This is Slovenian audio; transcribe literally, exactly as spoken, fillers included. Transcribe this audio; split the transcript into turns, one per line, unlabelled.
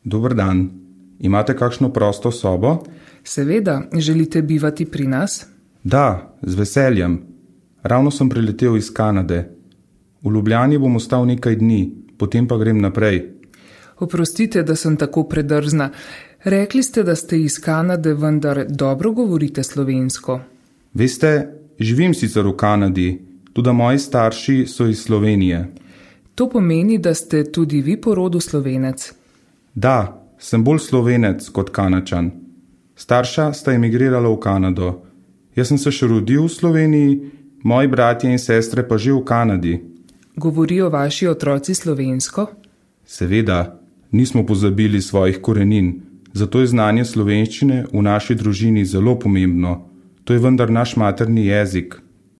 Dober dan. Imate kakšno prosto sobo?
Seveda, želite bivati pri nas?
Da, z veseljem. Ravno sem priletel iz Kanade. V Ljubljani bom ostal nekaj dni, potem pa grem naprej.
Oprostite, da sem tako predrzna. Rekli ste, da ste iz Kanade, vendar dobro govorite slovensko.
Veste, živim sicer v Kanadi, tudi moji starši so iz Slovenije.
To pomeni, da ste tudi vi po rodu Slovenec?
Da, sem bolj Slovenec kot Kanačan. Starša sta emigrirala v Kanado. Jaz sem se še rodil v Sloveniji, moji bratje in sestre pa že v Kanadi.
Govorijo vaši otroci slovensko?
Seveda, nismo pozabili svojih korenin, zato je znanje slovenščine v naši družini zelo pomembno. To je vendar naš materni jezik.